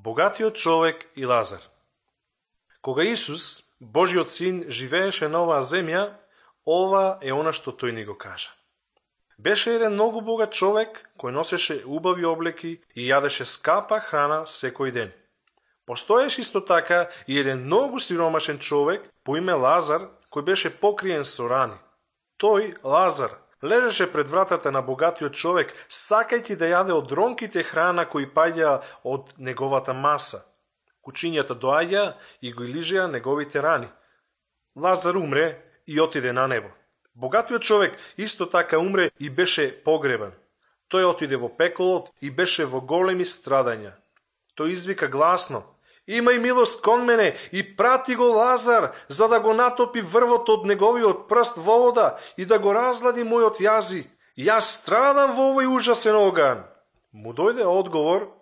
Богатиот човек и Лазар. Кога Исус, Божиот син, живееше на оваа земја, ова е она што тој ни го кажа. Беше еден многу богат човек кој носеше убави облеки и јадеше скапа храна секој ден. Постоеше исто така и еден многу сиромашен човек по име Лазар, кој беше покриен со рани. Тој, Лазар, лежеше пред вратата на богатиот човек, сакајќи да јаде од ронките храна кои паѓа од неговата маса. Кучињата доаѓа и го лижеа неговите рани. Лазар умре и отиде на небо. Богатиот човек исто така умре и беше погребан. Тој отиде во пеколот и беше во големи страдања. Тој извика гласно: "Имај милост кон мене и прати го Лазар, за да го натопи врвот од неговиот прст во вода и да го разлади мојот јази. Јас страдам во овој ужасен оган." Му дојде одговор: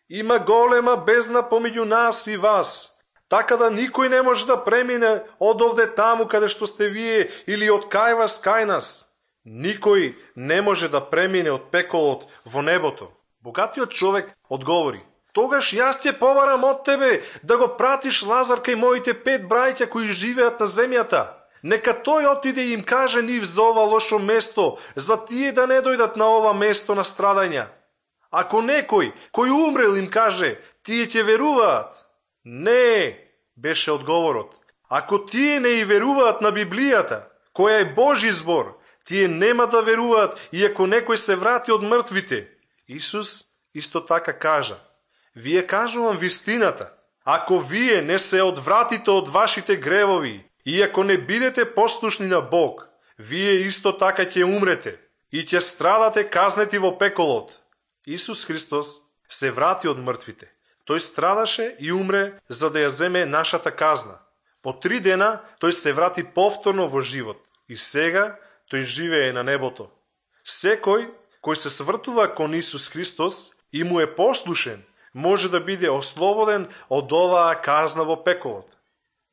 "Има голема бездна помеѓу нас и вас, така да никој не може да премине од овде таму каде што сте вие или од кај вас кај нас. Никој не може да премине од пеколот во небото." Богатиот човек одговори: "Тогаш јас ќе побарам од тебе да го пратиш Лазар кај моите 5 браќа кои живеат на земјата. Нека тој отиде и им каже нив за ова лошо место, за тие да не дојдат на ова место на страдања. Ако некој кој умрел им каже, тие ќе веруваат." "Не," беше одговорот. "Ако тие не и веруваат на Библијата, која е Божи збор, тие нема да веруваат и ако некој се врати од мртвите." Исус исто така кажа: "Вие кажувам вистината, ако вие не се одвратите од вашите гревови и ако не бидете послушни на Бог, вие исто така ќе умрете и ќе страдате казнети во пеколот." Исус Христос се врати од мртвите. Тој страдаше и умре за да ја земе нашата казна. По 3 дена тој се врати повторно во живот и сега тој живее на небото. Секој кој се свртува кон Исус Христос и му е послушен, може да биде ослободен од оваа казна во пеколот.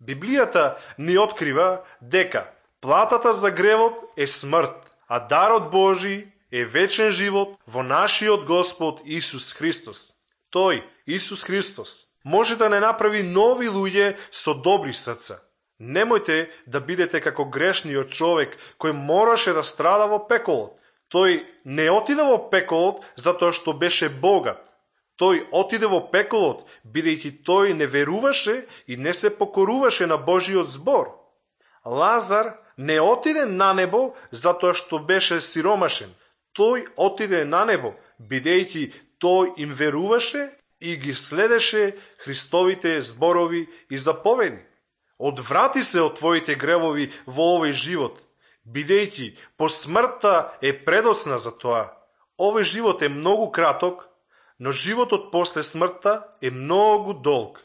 Библијата ни открива дека платата за гревот е смрт, а дарот Божи е вечен живот во нашиот Господ Исус Христос. Тој, Исус Христос, може да не направи нови луѓе со добри срца. Немојте да бидете како грешниот човек кој мораше да страда во пеколот. Тој не отиде во пеколот затоа што беше богат. Тој отиде во пеколот бидејќи тој не веруваше и не се покоруваше на Божиот збор. Лазар не отиде на небо затоа што беше сиромашен. Тој отиде на небо бидејќи тој им веруваше и ги следеше Христовите зборови и заповеди. Одврати се од твоите гревови во овој живот, бидејќи по смртта е предоцна за тоа. Овој живот е многу краток, но животот после смртта е многу долг.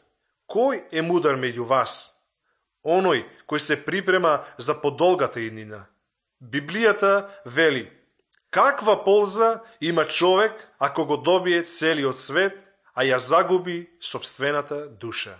Кој е мудар меѓу вас? Оној кој се припрема за подолгата иднина. Библијата вели: "Каква полза има човек ако го добие целиот свет, а ја загуби сопствената душа?"